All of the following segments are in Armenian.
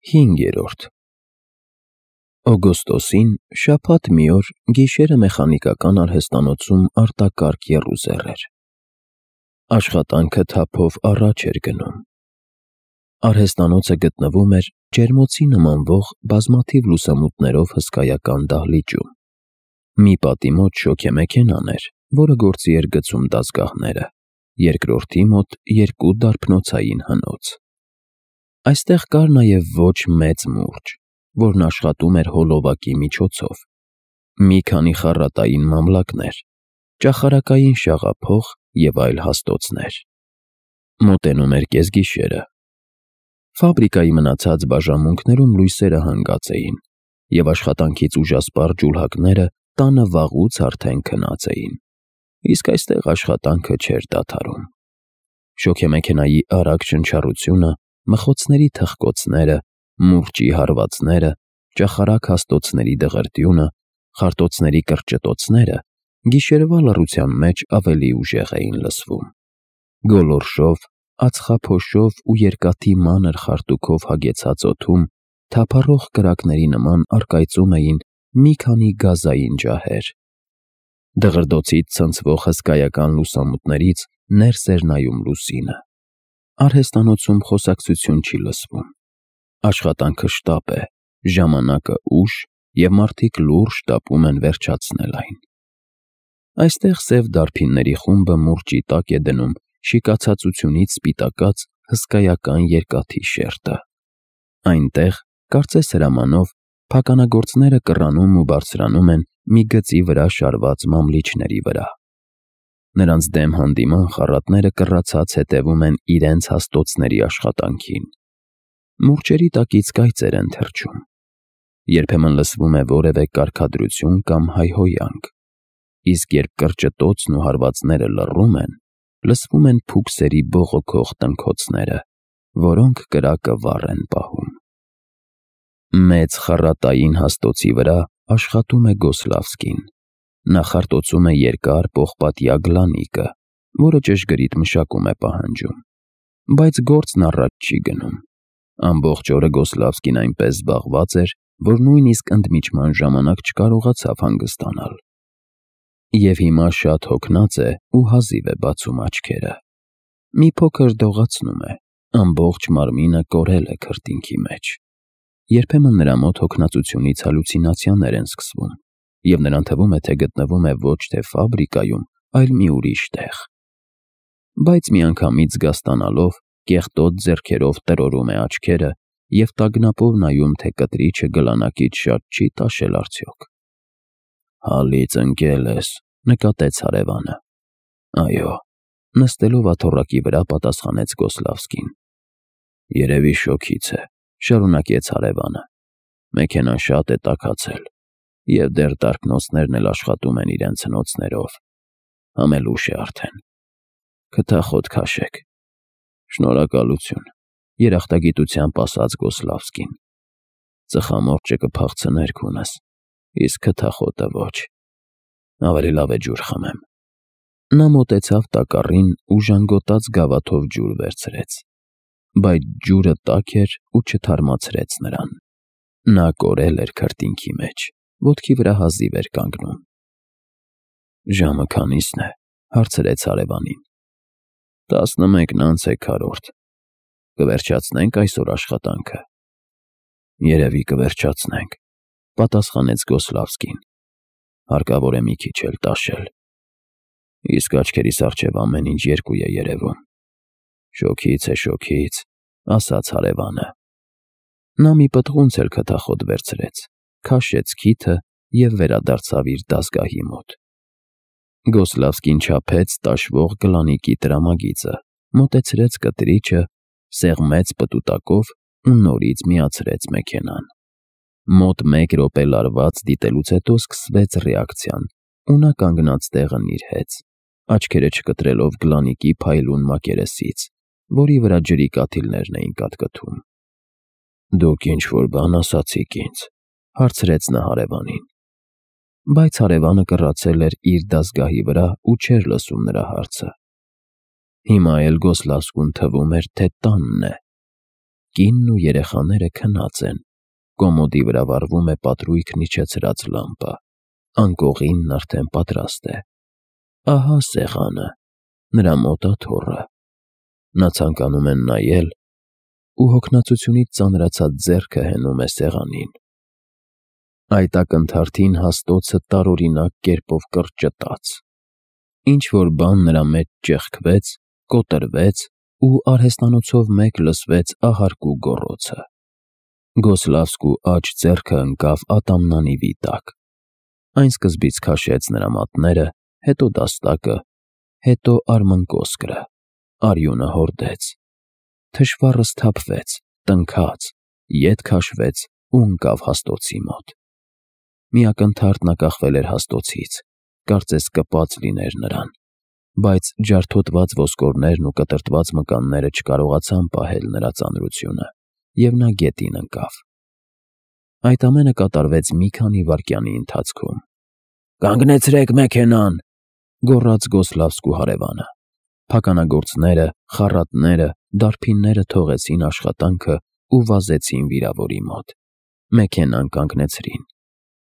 5. Օգոստոսին շաբաթ մի օր գիշերը մեխանիկական արհեստանոցում արտակարգ եռուզեռ էր։ Աշխատանքը թափով առաջ էր գնում։ Արհեստանոցը գտնվում էր ջերմոցի նմանվող բազմաթիվ լուսամուտներով հսկայական դահլիճում։ Մի պատի մոտ շոգեմեքենան էր, որը գործի էր գցում դասգահները, երկրորդի մոտ 2 դարբնոցային հնոց։ Այստեղ կար նաև ոչ մեծ մուրճ, որն աշխատում էր հոլովակի միջոցով, մի քանի խառատային մամլակներ, ճախարակային շաղափող և այլ հաստոցներ։ Մոտենում էր կեսգիշերը։ Ֆաբրիկայի մնացած բաժանմունքներում լույսերը հանգած էին, և աշխատանքից ուժասպառ ջուլհակները տանը վաղուց արդեն քնած էին, իսկ այստեղ աշխատանքը չէր դադարում։ Շոգեմեքենայի արագ շնչառությունը, մխոցների թխկոցները, մուրճի հարվածները, ճախարակ հաստոցների դղրդյունը, խարտոցների կրճտոցները գիշերվա լռության մեջ ավելի ուժեղ էին լսվում։ Գոլորշով, ածխափոշով ու երկաթի մանր խարտուքով հագեցած օդում թափառող կրակների նման առկայծում էին մի քանի գազային ջահեր։ Դղրդոցից ցնցվող հսկայական լուսամուտներից ներս էր նայում լուսինը։ Արհեստանոցում խոսակցություն չի լսվում։ Աշխատանքը շտապ է, ժամանակը ուշ, և մարդիկ լուրջ շտապում են վերջացնել այն։ Այստեղ սև դարբինների խումբը մուրճի տակ է դնում շիկացածությունից սպիտակած հսկայական երկաթի շերտը։ Այնտեղ, կարծես հրամանով, փականագործները կռանում ու բարձրանում են մի գծի վրա շարված մամլիչների վրա։ Նրանց դեմ հանդիման խառատները կռացած հետևում են իրենց հաստոցների աշխատանքին։ Մուրճերի տակից կայծեր են թռչում։ Երբեմն լսվում է որևէ կարգադրություն կամ հայհոյանք, իսկ երբ կրճտոցն ու հարվածները լռում են, լսվում են փուքսերի բողոքող տնքոցները, որոնք կրակը վառ են պահում։ Մեծ խառատային հաստոցի վրա աշխատում է Գոսլավսկին։ Նա խարտոցում է երկար պողպատյա գլանիկը, որը ճշգրիտ մշակում է պահանջում, բայց գործն առաջ չի գնում։ Ամբողջ օրը Գոսլավսկին այնպես զբաղված էր, որ նույնիսկ ընդմիջման ժամանակ չկարողացավ հանգստանալ։ Եվ հիմա շատ հոգնած է ու հազիվ է բացում աչքերը։ Մի փոքր դողացնում է, ամբողջ մարմինը կորել է քրտինքի մեջ։ Երբեմն նրա մոտ հոգնածությունից հալյուցինացիաներ են սկսվում, և նրան թվում է, թե գտնվում է ոչ թե ֆաբրիկայում, այլ մի ուրիշ տեղ։ Բայց միանգամից զգաստանալով, կեղտոտ ձեռքերով տրորում է աչքերը և տագնապով նայում, թե կտրիչը գլանակից շատ չի տաշել արդյոք։ «Հալից ընկել ես», նկատեց հարևանը։ «Այո», նստելով աթոռակի վրա պատասխանեց Գոսլավսկին։ «Երևի շոգից է», շարունակեց հարևանը։ «Մեքենան շատ է տաքացել, և դեռ տարկնոցներն էլ աշխատում են իրենց հնոցներով։ Համելուշ է արդեն։ Քթախոտ քաշեք»։ «Շնորհակալություն», երախտագիտությամբ ասաց Գոսլավսկին։ «Ծխամորճը կփախցներ քունս, իսկ քթախոտը ոչ։ Ավելի լավ է ջուր խմեմ»։ Նա մոտեցավ տակառին ու ժանգոտած գավաթով ջուր վերցրեց, բայց ջուրը տաք էր ու չթարմացրեց նրան։ Նա կորել էր քրտինքի մեջ, ոտքի վրա հազիվ էր կանգնում։ «Ժամը քանի՞սն է», հարցրեց հարևանին։ 11:04։ «Կվերջացնե՞նք այսօր աշխատանքը»։ «Երևի կվերջացնենք», պատասխանեց Գոսլավսկին։ «Հարկավոր է մի քիչ էլ տաշել։ Իսկ աչքերիս առջև ամեն ինչ երկու է երևում»։ «Շոգից է, շոգից», ասաց հարևանը։ Նա մի պտղունց էլ քթախոտ վերցրեց, քաշեց քիթը և վերադարձավ իր դասգահի մոտ։ Գոսլավսկին չափեց տաշվող գլանիկի տրամագիծը, մոտեցրեց կտրիչը, սեղմեց պտուտակով ու նորից միացրեց մեքենան։ Մոտ 1 րոպե լարված դիտելուց հետո սկսվեց ռեակցիան, ու նա կանգնած տեղը նիրհեց, աչքերը չկտրելով գլանիկի փայլուն մակերեսից, որի վրա ջրի կաթիլներն էին կատկտում։ «Դուք ինչ-որ բան ասացիք ինձ», հարցրեց նա հարևանին։ Բայց հարևանը կռացել էր իր դասգահի վրա ու չէր լսում նրա հարցը։ Հիմա էլ Գոսլավսկուն թվում էր, թե տանն է։ կինն ու երեխաները քնած են, կոմոդի վրա վառվում է պատրույգն իջեցրած լամպը, անկողինն արդեն պատրաստ է։ Ահա սեղանը, նրա մոտ աթոռը։ Նա ցանկանում է նայել ու հոգնածությունից ծանրացած ձեռքը հենում է սեղանին։ Այդ ակնթարթին հաստոցը տարօրինակ կերպով կրճտաց։ Ինչ-որ բան նրա մեջ ճեղքվեց, կոտրվեց ու արհեստանոցով մեկ լսվեց ահարկու գոռոցը։ Գոսլավսկու աջ ձեռքը ընկավ ատամնանիվի տակ։ Այն սկզբից քաշեց նրա մատները, հետո դաստակը, հետո արմնկոսկրը, արյունը հորդեց։ Թշվառը սթափվեց, տնքաց, ետ քաշվեց ու ընկավ հաստոցի մոտ։ Մի ակնթարթ նա կախվել էր հաստոցից, կարծես կպած լիներ նրան, բայց ջարդոտված ոսկորներն ու կտրտված մկանները չկարողացան պահել նրա ծանրությունը, և նա գետին ընկավ։ Այդ ամենը կատարվեց մի քանի վայրկյանի ընթացքում։ «Կանգնեցրեք մեքենան», գոռաց Գոսլավսկու հարևանը։ Փականագործները, խառատները, դարբինները թողեցին աշխատանքը ու վազեցին վիրավորի մոտ։ Մեքենան կանգնեցրին։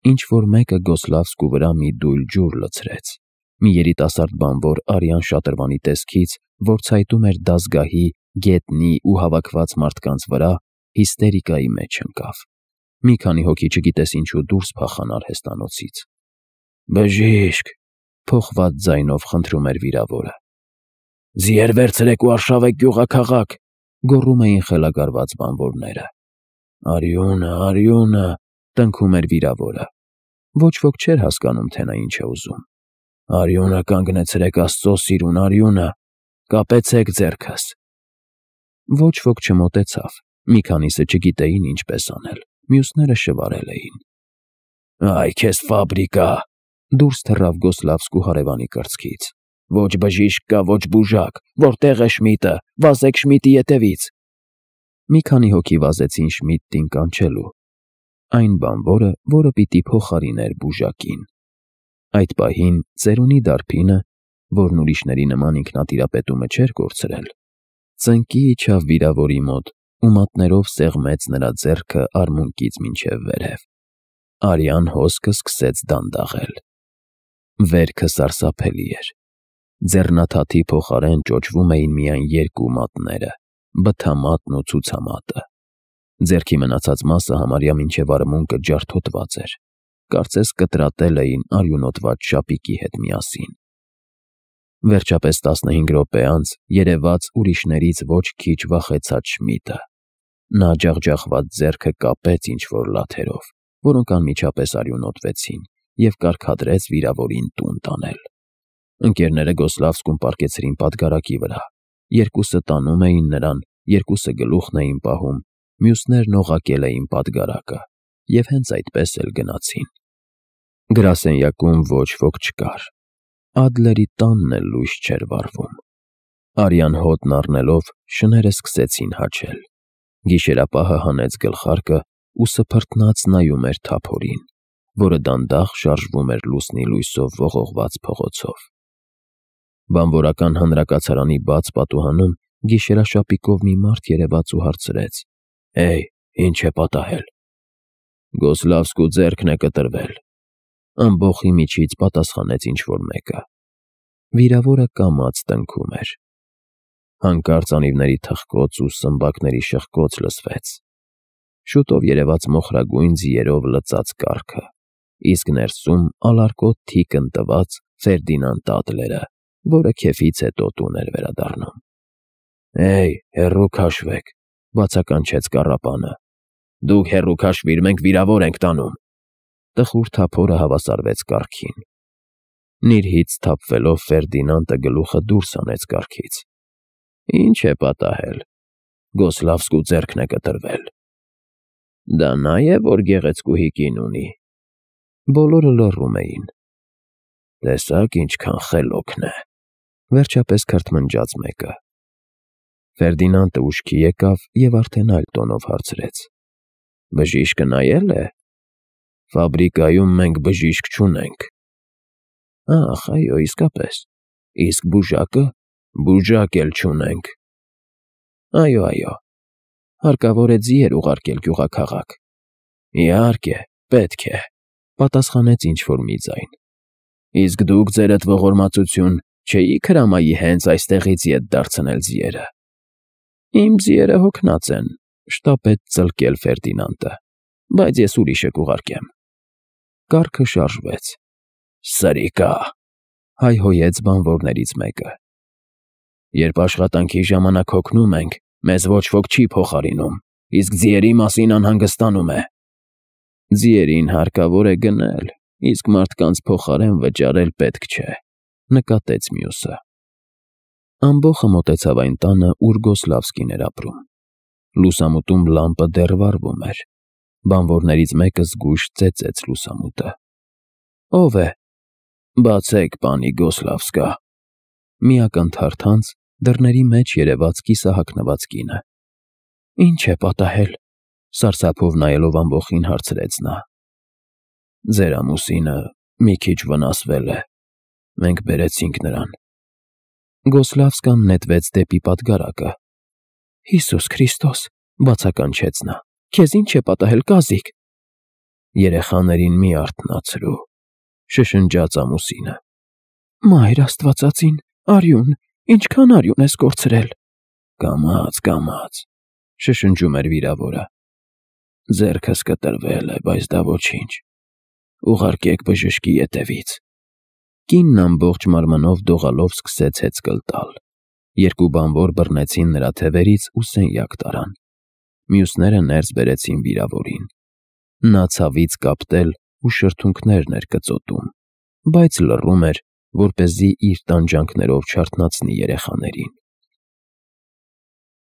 Ինչ-որ մեկը Գոսլավսկու վրա մի դույլ ջուր լցրեց։ Մի երիտասարդ բանվոր արյան շատրվանի տեսքից, որ ցայտում էր դազգահի, գետնի ու հավաքված մարդկանց վրա, հիստերիկայի մեջ ընկավ։ Մի քանի հոգի չգիտես ինչու դուրս փախան արհեստանոցից։ «Բժիշկ», փոխված ձայնով խնդրում էր վիրավորը։ «Ձիեր վերցրեք ու արշավեք գյուղաքաղաք», գոռում էին խելագարված բանվորները։ «Արյունը, արյունը», տնքում էր վիրավորը։ Ոչ ոք չէր հասկանում, թե նա ինչ է ուզում։ «Արյունը կանգնեցրեք, Աստծո սիրուն, արյունը, կապեցեք ձեռքս»։ Ոչ ոք չմոտեցավ, մի քանիսը չգիտեին ինչպես անել, մյուսները շվարել էին։ «Այ քեզ ֆաբրիկա», դուրս թռավ Գոսլավսկու հարևանի կրծքից։ «Ոչ բժիշկ կա, ոչ բուժակ, որտե՞ղ է Շմիդը, վազեք Շմիդի ետևից»։ Մի քանի հոգի վազեցին Շմիդտին կանչելու։ Այն բանվորը, որը պիտի փոխարիներ բուժակին։ Այդ պահին ծերունի դարբինը, որն ուրիշների նման ինքնատիրապետումը չէր կորցրել, ծնկի իջավ վիրավորի մոտ ու մատներով սեղմեց նրա ձեռքը արմունկից մինչև վերև։ Արյան հոսքը սկսեց դանդաղել։ Վերքը սարսափելի էր։ Ձեռնաթաթի փոխարեն ճոճվում էին միայն երկու մատները՝ բթամատն ու ցուցամատը։ Ձեռքի մնացած մասը համարյա մինչև արմունկը ջարդոտված էր, կարծես կտրատել էին արյունոտված շապիկի հետ միասին։ Վերջապես 15 րոպե անց երևաց ուրիշներից ոչ քիչ վախեցած Շմիդը։ Նա ջախջախված ձեռքը կապեց ինչ-որ լաթերով, որոնք անմիջապես արյունոտվեցին, և կարգադրեց վիրավորին տուն տանել։ Ընկերները Գոսլավսկուն պառկեցրին պատգարակի վրա։ Երկուսը տանում էին նրան, երկուսը գլուխն էին պահում, մյուսներն օղակել էին պատգարակը, և հենց այդպես էլ գնացին։ Գրասենյակում ոչ ոք չկար։ Ադլերի տանն էլ լույս չէր վառվում։ Արյան հոտն առնելով շները սկսեցին հաչել։ Գիշերապահը հանեց գլխարկը ու սփռտնաց նայում էր թափորին, որը դանդաղ շարժվում էր լուսնի լույսով ողողված փողոցով։ Բանվորական հանրակացարանի բաց պատուհանում գիշերաշապիկով մի մարդ երևաց ու հարցրեց. «Էյ, ինչ է պատահել»։ «Գոսլավսկու ձեռքն է կտրվել», ամբոխի միջից պատասխանեց ինչ-որ մեկը։ Վիրավորը կամաց տնքում էր։ Հանկարծ անիվների թխկոց ու սմբակների շխկոց լսվեց։ Շուտով երևաց մոխրագույն ձիերով լծած կառքը, իսկ ներսում ալարկոտ թիկն տված Ֆերդինանդ Ադլերը, որը քեֆից հետո տուն էր վերադառնում։ «Էյ, հեռու քաշվեք», բացականչեց կառապանը։ «Դուք հեռու քաշվիր, մենք վիրավոր ենք տանում»։ Տխուր թափորը հավասարվեց կառքին։ Նիրհից սթափվելով Ֆերդինանդը գլուխը դուրս հանեց կառքից։ «Ինչ է պատահել»։ «Գոսլավսկու ձեռքն է կտրվել»։ «Դա նա է, որ գեղեցկուհի կին ունի»։ Բոլորը լռում էին։ «Տեսա՞ք ինչքան խելոքն է», վերջապես քրթմնջաց մեկը։ Ֆերդինանդը ուշքի եկավ և արդեն այլ տոնով հարցրեց. «Բժիշկը նայե՞լ է»։ «Ֆաբրիկայում մենք բժիշկ չունենք»։ «Ախ, այո, իսկապես։ Իսկ բուժակը»։ «Բուժակ էլ չունենք»։ «Այո, այո»։ Հարկավոր է ձիեր ուղարկել գյուղաքաղաք։ Իհարկե, պետք է, պատասխանեց ինչ-որ մի ձայն։ Իսկ դուք ձերդ ողորմածություն չէիք հրամայի հենց այստեղից ետ դարձնել ձիերը։ Իմ ձիերը հոգնած են, շտապեց ծլկել Ֆերդինանդը, բայց ես ուրիշը կուղարկեմ։ Կառքը շարժվեց։ Սրիկա, հայհոյեց բանվորներից մեկը։ Երբ աշխատանքի ժամանակ հոգնում ենք, մեզ ոչ ոք չի փոխարինում, իսկ ձիերի մասին անհանգստանում է։ Ձիերին հարկավոր է գնել, իսկ մարդկանց փոխարեն վճարել պետք չէ, նկատեց մյուսը։ Ամբոխը մոտեցավ այն տանը, ուր Գոսլավսկին էր ապրում։ Լուսամուտում լամպը դեռ վառվում էր։ Բանվորներից մեկը զգույշ ծեծեց լուսամուտը։ Ո՞վ է։ Բացեք, պանի Գոսլավսկա։ Մի ակնթարթանց դռների մեջ երևաց կիսահագնված կինը։ Ինչ է պատահել, սարսափով նայելով ամբոխին հարցրեց նա։ Ձեր ամուսինը մի քիչ վնասվել է։ Մենք բերեցինք նրան։ Գոսլավսկան նետվեց դեպի պատգարակը։ Հիսուս Քրիստոս, բացականչեց նա։ Քեզ ինչ է պատահել, կազիկ։ Երեխաներին մի արթնացրու, շշնջաց ամուսինը։ Մայր Աստվածածին, արյուն, ինչքան արյուն ես կորցրել։ Կամաց, շշնջում էր վիրավորը։ Ձեռքս կտրվել է, բայց դա ոչինչ։ Ուղարկեք բժշկի ետևից։ Կինն ամբողջ մարմնով դողալով սկսեց հեծկլ տալ։ Երկու բանվոր բռնեցին նրա թևերից ու սենյակ տարան։ Մյուսները ներս բերեցին վիրավորին։ Նա ցավից կապտել ու շրթունքներն էր կծոտում, բայց լռում էր, որպեսզի իր տանջանքներով չարթնացնի երեխաներին։